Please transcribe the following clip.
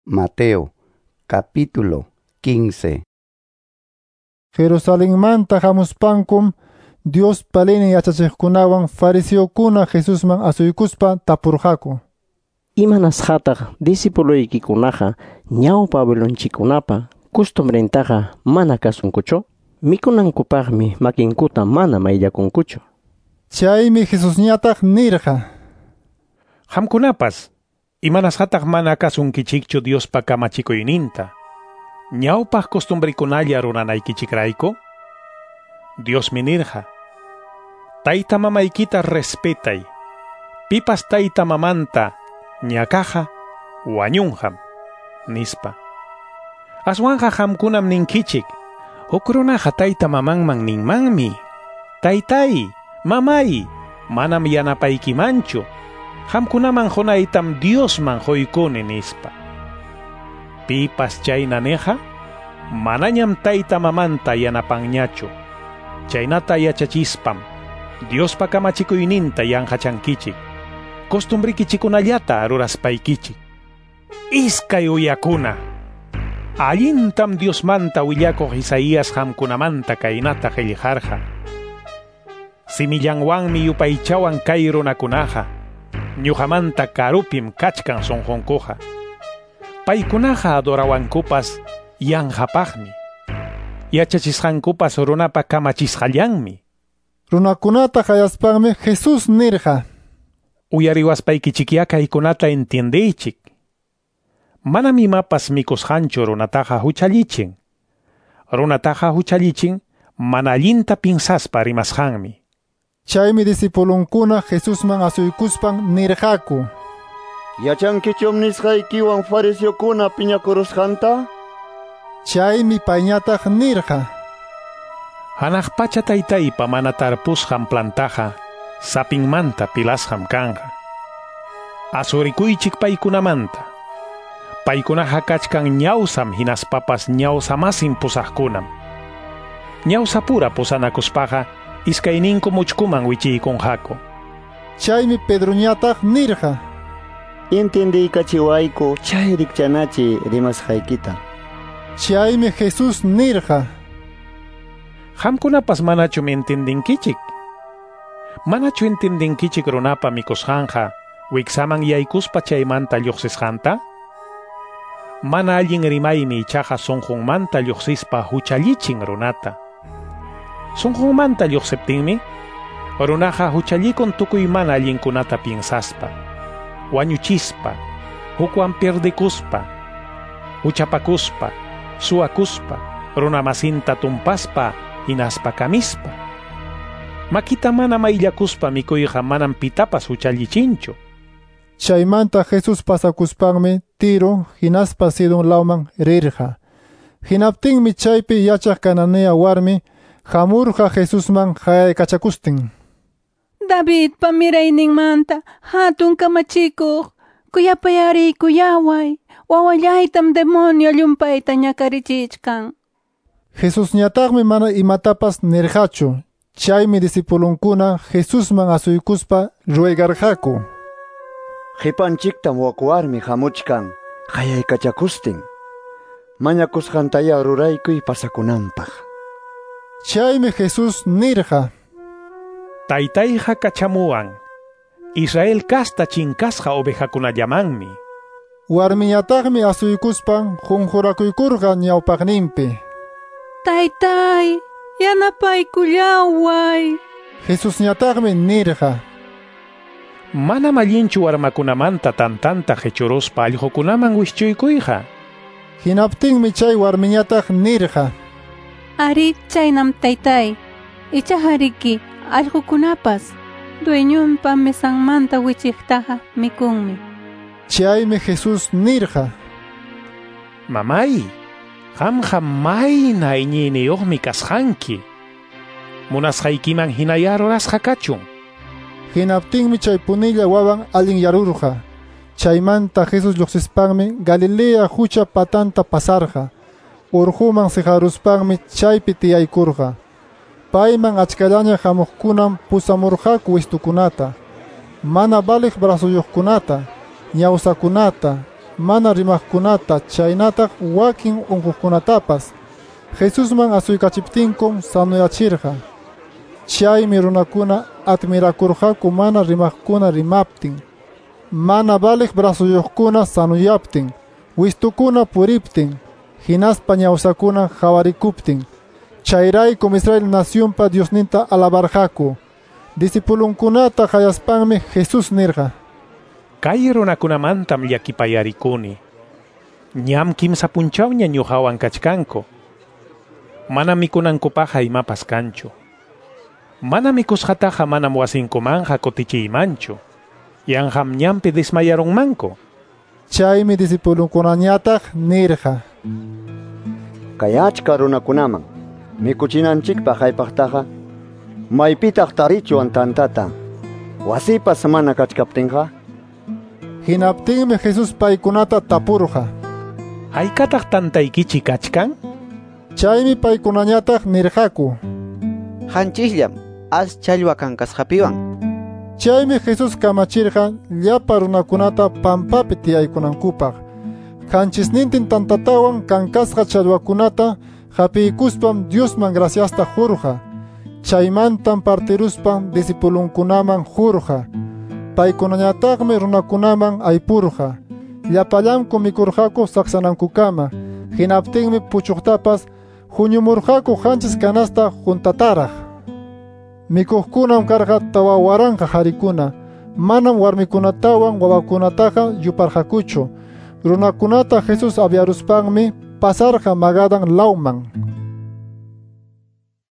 Mateo, capítulo 15. Jerusalenmanta hamuspankum Diospa leynin yachachiqkunawan fariseokuna Jesusman asuykuspa tapurqaku. Imanasqataq discipuloykikunaqa ñawpa abuelonchikkunapa costumbrentaqa mana kasunkuchu? Mikunankupaqmi makinkuta mana mayllakunkuchu. Chaymi Jesusñataq nirqa: Qamkunapas, imanasqataq mana kasunkichikchu Diospa kamachikuyninta? Ñawpaq costumbrikunalla ruranaykichikrayku? Diosmi nirqa: Tayta mamaykita respetay. Pipas tayta mamanta ñakaqa wañunqam, nispa. Aswanqa qamkunam ninkichik: Huk runaqa tayta mamanman ninmanmi: Taytay, mamay, manam yanapaykimanchu. Qamkunaman qunaytam Diosman quykuni, nispa. Pipas chayna niqa, manañam tayta mamanta yanapanñachu. Chaynata yachachispam Diospa kamachikuyninta yanqachankichik. Costumbrikichikunallata ruraspaykichik. Iskay uyakuna. Allintam Diosmanta willakuq Isaías qamkunamanta kaynata qillqarqa: Simillanwanmi yupaychawan kay runakunaqa, ñuqamanta karupim kachkan sunqunkuqa. Paykunaqa adorawankupas yanqapaqmi. Yachachisqankupas runapa kamachisqallanmi. Runakunata qayaspanmi Jesús nirqa: Uyariwaspaykichikyá kaykunata entiendeychik. Manam imapas mikusqanchu runataqa huchallichin. Runataqa huchallichin mana allinta pinsaspa rimasqanmi. Chaymi discipulunkuna Jesusman asuykuspan nirqaku: Yachankichum nisqaykiwan fariseokuna piñakurusqanta? Chaymi payñataq nirqa: Hanaq pacha taytaypa mana tarpusqan plantaqa sapinmanta pilasqam kanqa. Asurikuychik paykunamanta. Paykunaqa kachkan ñawsam hinaspapas ñawsamasin pusaqkunam. Ñawsapura pusanakuspaqa iskayninku muchkuman wichiykunqaku. Chaymi Pedroñataq nirqa: Entendiykachiwayku chay rikchanachi rimasqaykita. Chaymi Jesús nirqa: Qamkunapas manachum entendinkichik? Manachu entendinkichik runapa mikusqanqa wiksaman yaykuspa chaymanta lluqsisqanta? Mana allin rimaymi ichaqa sunqunmanta lluqsispa huchallichin runata. Sunqunmanta lluqsiptinmi runaqa huchallikun tukuy mana allinkunata piensaspa, wañuchispa, hukwan pierdekuspa, huchapakuspa, suwakuspa, runamasinta tumpaspa, hinaspa kamispa. Makita mana mayllakuspa mikuyqa manam pitapas huchallichinchu. Chaymanta Jesús pasakuspanmi Tiro hinaspa Sidon lawman rirqa. Hinaptinmi chaypi yachaq Cananea warmi hamurqa Jesusman qayaykachakustin: Davidpa mirayninmanta hatun kamachikuq, kuyapayariykuyaway, wawallaytam demonio llumpayta ñakarichichkan. Jesusñataqmi mana imatapas nirqachu. Chaymi discipulunkuna Jesusman asuykuspa ruegarqaku: Qipanchiktam wak warmi hamuchkan qayaykachakustin. Mañakusqantaya ruraykuy pasakunanpaq. Chaymi Jesús nirqa: Taytayqa kachamuwan Israel casta chinkasqa ovejakunallamanmi. Warmiñataqmi asuykuspan qunqurakuykurqa ñawpaqninpi: Taytay, yanapaykullaway. Jesusñataqmi nirqa: Manam allinchu warmakunamanta tantanta qichuruspa allqukunaman wischuykuyqa. Hinaptinmi chay warmiñataq nirqa: Ari, chaynam taytay. Ichaqa allqukunapas dueñonpa mesanmanta wichiqtaqa mikunmi. Chaymi Jesús nirqa: Mamay, qamqa mayna iñiyniyuqmi kasqanki. Munasqaykiman hinaya rurasqa kachun. Hinaptinmi chay punilla wawan allinyarurqa. Chaymanta Jesús lluqsispanmi Galilea hucha patanta pasarqa. Urquman siqaruspanmi chaypi tiyaykurqa. Payman achkallaña hamuqkunam pusamurqaku wistukunata, mana valiq brazuyuqkunata, ñawsakunata, mana rimaqkunata chaynataq wakin unquqkunatapas. Jesusman asuykachiptinkum sanoyachirqa. Chaymi runakuna admirakurqaku mana rimaqkuna rimaptin, mana valiq brazuyuqkuna sanoyaptin, wistukuna puriptin, hinaspa ñawsakuna qawarikuptin. Chayraykum Israel nacionpa Diosninta alabarqaku. Discipulunkunata qayaspanmi Jesús nirqa: Kay runakunamantam llakipayarikuni. Ñam kimsa punchawña ñuqawan kachkanku. Manam mikunankupaqqa imapas kanchu. Mana mikusqataqa manam wasinkumanqa kutichiymanchu. Yanqam ñanpi desmayarunmanku. Chaymi discipulunkunañataq nirqa: Kay achka runakunaman mikuchinanchikpaq haypaqtaqa maypitaq tarichwan tantata, wasipas mana kachkaptinqa. Hinaptinmi Jesús paykunata tapurqa: Haykataq tantaykichik kachkan? Chaymi paykunañataq nirqaku: Hanchisllam as challwa kankasqapiwan. Chaymi Jesús kamachirqa llapa runakunata pampapi tiyaykunankupaq. Qanchisnintin tantatawan kankasqa challwakunata hapiykuspam Diosman graciasta qurqa. Chaymantam partiruspan discipulunkunaman qurqa. Paykunañataqmi runakunaman aypurqa. Llapallanku mikurqaku saksanankukama. Hinaptinmi puchuqtapas huñumurqaku 7 canasta juntataraq. Mikuqkunam karqa 4000 qarikuna. Manam warmikunatawan wawakunataqa yuparqakuchu. Runakunata Jesús aviaruspanmi pasarqa Magadan lawman.